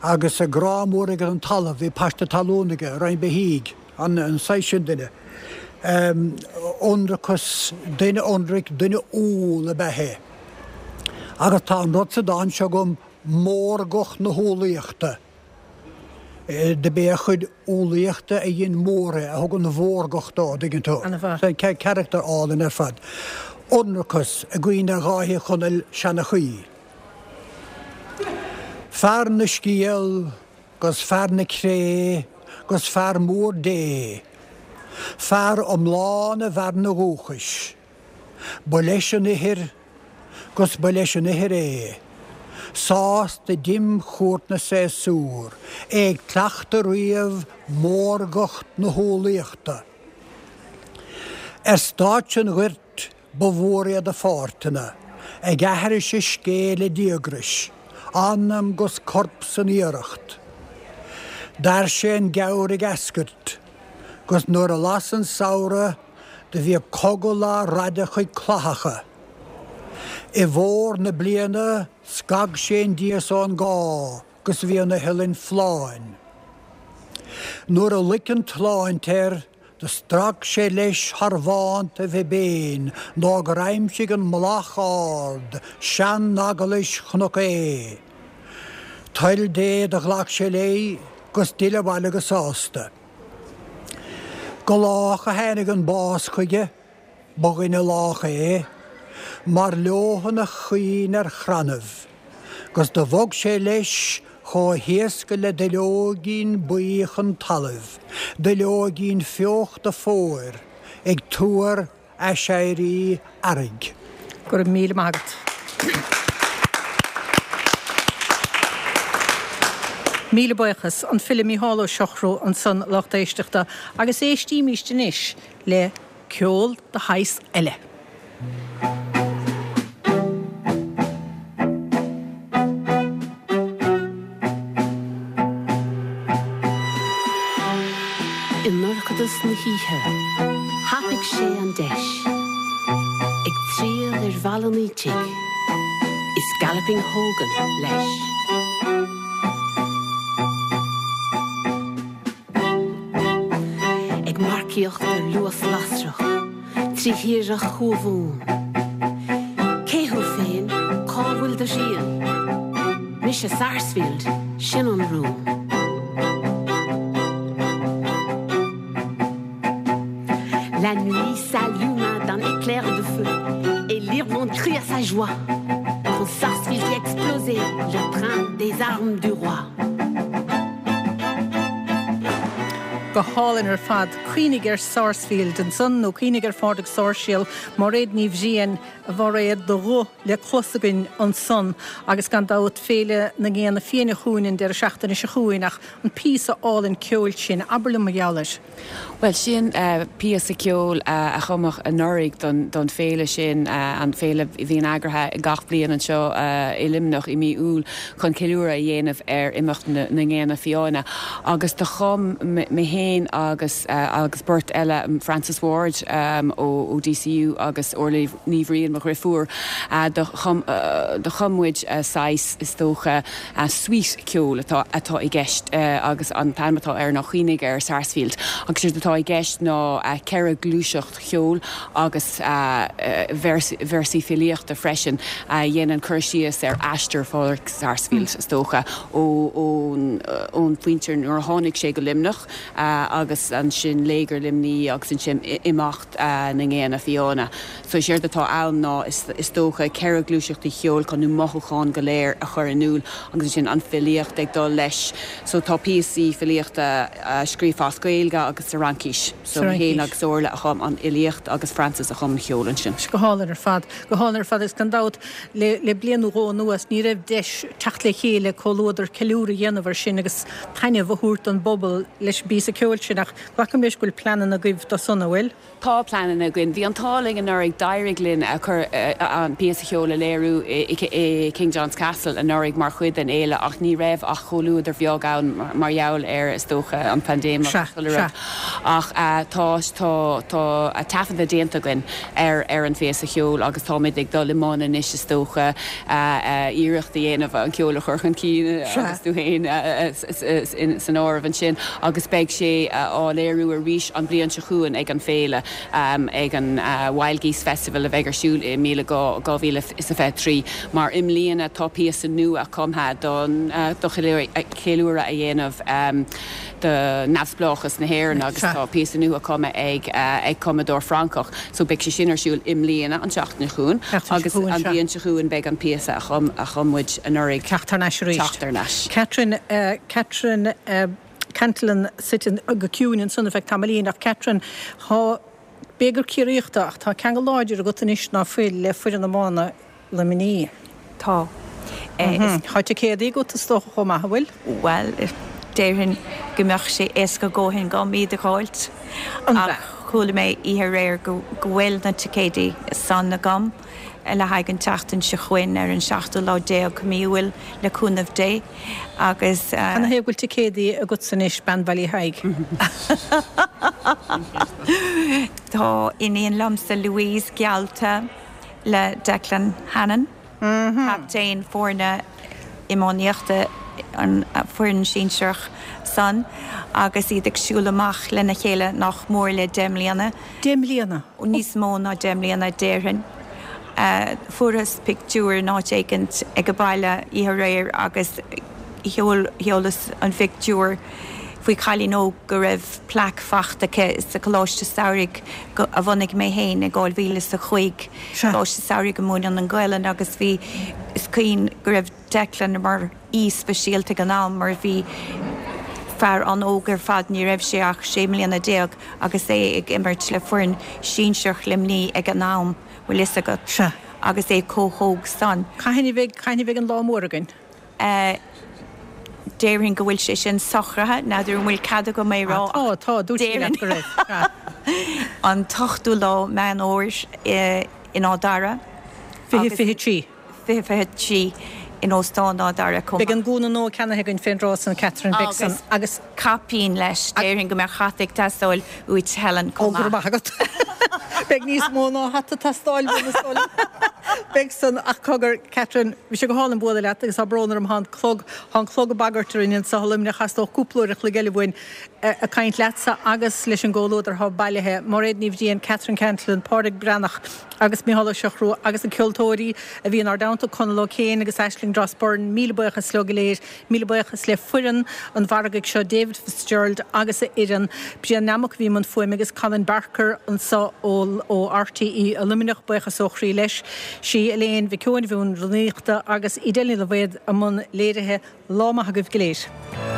Agus grá mór aige don talamh, bhí paiste talún aige, roinnt beithígh, an saghas sin duine. Ionracas, duine ionraic, duine umhal ab ea é. Agus tá an rud sa dán seo agam, mórgacht na humhlaíochta. Do b'é a chuid umhlaíochta a dhein mór é, a thug an mhórgacht dó, an dtuigeann tú. Carachtar álainn ar fad. Ionracas, i gcuimhne ar Dháithí Ó Conaill, seanchaí. Fear na scéal 'gus fear na cré 'gus fear mór Dé, fear iomlán i bhfearann a dhúchais, ba leis an ithir 'gus ba leis an ithir é, sásta d'imchuairt na séasúr, é ag cleachtadh riamh mórgacht na humhlaíochta. Ar stáitse an ghoirt Ba mhór iad a pháirteanna, ag aithris a scéil le díograis, anam 'gus corp san iarracht. D'fhair sé an geimhreadh ag eascairt, 'gus nuair a las an samhradh do bhíodh cogal á raideadh chuig clathacha. I bhfómhar na bliana scag sé an dias ón gcá 'gus bhí an iothlainn folláin. Nuair a loic an tsláinte air, Do strac sé leis thar bhánta Bhibéin nó gur aimsigh an mullach ard, sean-eaglais Chnoc Aodha. Toil Dé do ghlac sé léi 'gus d'fhill abhaile go sásta. Go lách a tháinig an bás chuige, ba dhuine lách é, mar leothan a chaoin ar chrannaibh, 'gus do bhog sé leis chomh héasca le duilleoigín buí chun talaimh, duilleoigín fiuchta fómhair, ag tuar aiséirí earraigh. Go raibh míle maith agat. Míle buíochas, an file Mícheál Ó Siochrú ansan, lucht éisteachta, agus éistímíst anois le ceol de shaghas eile. I ndorchadas na hoíche, thapaigh sé an deis, ag triall ar Bhaile an Fhaoitigh, is Galloping Hogan leis. Ag marcaíocht ar luas lasrach trí thírdhreach Thuamhumhan. Cé thú féin? Cá bhfuil do thrian? Mise Sarsfield, sin an rún. La nuit s'alluma d'un éclair de feu et l'Irlande crie à sa joie quand Sarsfield fit exploser le train des armes du roi. Go hálainn ar fad. Cuimhnigh ar Sarsfield ansan nó cuimhnigh ar Phádraig Sáirséal, Máiréad Ní Bhriain, a Mháiréad, do ghuth le clos againn ansan agus gan dabht Féile na nGéanna Fiáine chugainn an deireadh seachtaine seo chugainn ach an píosa álainn ceoil sin, abair liom mar gheall air. Bhuel, sin píosa ceoil a cumadh anuraidh don féile sin, an féile a bhíonn eagraithe gach bliain anseo i Luimneach i mí Iúil chun ceiliúradh a dhéanamh ar imeacht na nGéanna Fiáine. Agus do chum mé féin agus agus beirt eile, Frances Ward ó D C U agus Orla Ní Bhriain, mo dheirfiúr, do chum do chum muid saghas, is dócha, suite ceoil atá atá i gceist agus an t-ainm atá air ná Cuimhnigh ar Sarsfield. Agus séard atá i gceist ná ceithre gluaiseacht cheoil agus véarsaí filíochta freisin a dhéanann cur síos ar aistear Phádraig Sarsfield, is dócha, ón ón phointe nuair a tháinig sé go Luimneach agus ansin léigear Luimnigh agus ansin imeacht na nGéanna Fiáine. So séard atá ann ná is dócha ceithre gluaiseachtaí cheoil chun na mothúcháin go léir a chur in iúl agus ansin an filíocht ag dul leis. So tá píosaí filíochta scríofa as Gaeilge agus sa Fhraincis. So mé féin agus Orla a chum an fhilíocht agus Frances a chum an ceol ansin. Go hálainn ar fad, go hálainn ar fad agus gan dabht le le bliain nó dhó anuas ní raibh deis teacht le chéile comhluadar ceiliúradh a dhéanamh ar sin agus taitneamh a thabhairt don bpobal leis an bpíosa ceoil sin ach glacaim leis go bhfuil pleananna agaibh dó san, an bhfuil? Tá pleananna againn. Bhí an t-ádh linn anuraidh, d'éirigh linn a chur an píosa cheoil a léiriú i King John's Castle anuraidh mar chuid den fhéile ach ní raibh ach comhluadar bheag ann mar gheall ar, is dócha, an phaindéim agus chuile rud. Ach tá tá tá taifeadta déanta againn ar ar an phíosa cheoil agus táimid ag dul i mbun anois, is dócha, iarracht a dhéanamh an ceol a chur chun cinn agus tú féin san áireamh ansin agus beidh sé á léiriú arís an bhliain seo chugainn ag an féile. Ag an Wild Geese Festival a bheidh ar siúl i míle dhá mhíle is a fiche trí mar i mbliana tá píosa nua cumtha don do cheiliúradh a dhéanamh do neamhspleáchas na hÉireann agus tá píosa nua cumtha ag ag cumadóir Francach so beidh sé sin ar siúl i mbliana an tseachtain chugainn agus an bhliain seo chugainn beidh an píosa a chum a chum muid anuraidh. Teacht thar n-ais arís. Teacht thar n-ais. Catherine Catherine Cantillon suite go ciúin ansan ar feadh tamaillín ach Catherine, tá, b'fhéidir gur Ciarraíoch tú ach tá ceangal láidir agat anois ná fuil le foireann iomána Luimnigh. Tá. Tá ticéadaí agat is dócha chomh maith, an bhfuil? Bhuel, déarfainn go mbeadh sé éasca a dhóthain agam iad a dh'fháilt ach chuala mé oíche aréir go bhfuil na ticéadaí san agam le haghaidh an tseachtain seo chugainn ar an seachtú lá déag mí Iúil le cúnamh Dé agus. Canathaobh go bhfuil ticéadaí agatsa anois, bean Bhaile Thaidhg? Tá iníon liomsa Louise geallta le Declan Hannon, captaen foirne iománaíochta an foireann sinsearach san agus iad ag siúl amach lena chéile nach mór le deich mbliana. Deich mbliana? Níos mó ná deich mbliana déarfainn. Fuarthas pictiúr in áit éicint ag an baile oíche aréir agus sheolas an phictiúr faoi chailín óg go raibh plaic fachta aici sa Choláiste Samhraidh a bhunaigh mé féin i dhá mhíle is a cúig, Coláiste Samhraidh a múineann an Ghaelainn agus bhí, is cuimhin go raibh Declan mar aoi speisialta ag an am mar bhí fear an-óg ar fad, ní raibh sé ach sé mbliana déag agus é ag imirt le foireann sinsearach Luimnigh ag an am, bhfuil fhios agat, agus é chomh hóg san. Cathain a bheidh, cathain a bheidh an lá mór againn? Déarfainn go bhfuil sé sin socraithe, n'fheadar an bhfuil cead agam é rá ach. Tá, tá, dúirt sí leat go raibh, sea. An t-ochtú lá Meán Fhómhair in Áth Dara. Fiche fiche trí. Fiche fiche trí in Óstán Áth Dara chomh Beidh maith. an gúna nua ceannaithe againn fén dtráth san, Catherine, beidh san Agus agus. caipín leis, déarfainn go mbeadh hata ag teastáil uait Helen Ó, chomh go raibh maith. maith agat. Beidh níos mó ná hata ag teastáil uaim is dóigh liom. Beidh san, ach cogar, Catherine, bhí sé go hálainn bualadh leat agus tá brón orm, tá an clog, tá an clog ag bagairt orainn anseo i Luimneach, theastódh cúpla uair a chloig eile uainn. ag caint leatsa agus leis an gcomhluadar atá bailithe, Mairéad Ní Bhriain, Catherine Cantillon, Pádraig Breathnach agus Mícheál Ó Siochrú agus na ceoltóirí a bhí inár dteannta, Conall Ó Céin agus Aisling Dross-Byrne, míle buíochas leo go léir, míle buíochas le foireann an mhargaidh seo, David Fitzgerald agus a fhoireann, Brian Nammock a bhí i mbun fuaime agus Colin Barker anseo ó ó RTÉ i Luimneach, buíochas ó chroí leis. Sí Elaine Mhic Eoin a bhí i mbun rúnaíochta agus Edel Ní Loibhéad i mbun léirithe. Lá maith agaibh go léir.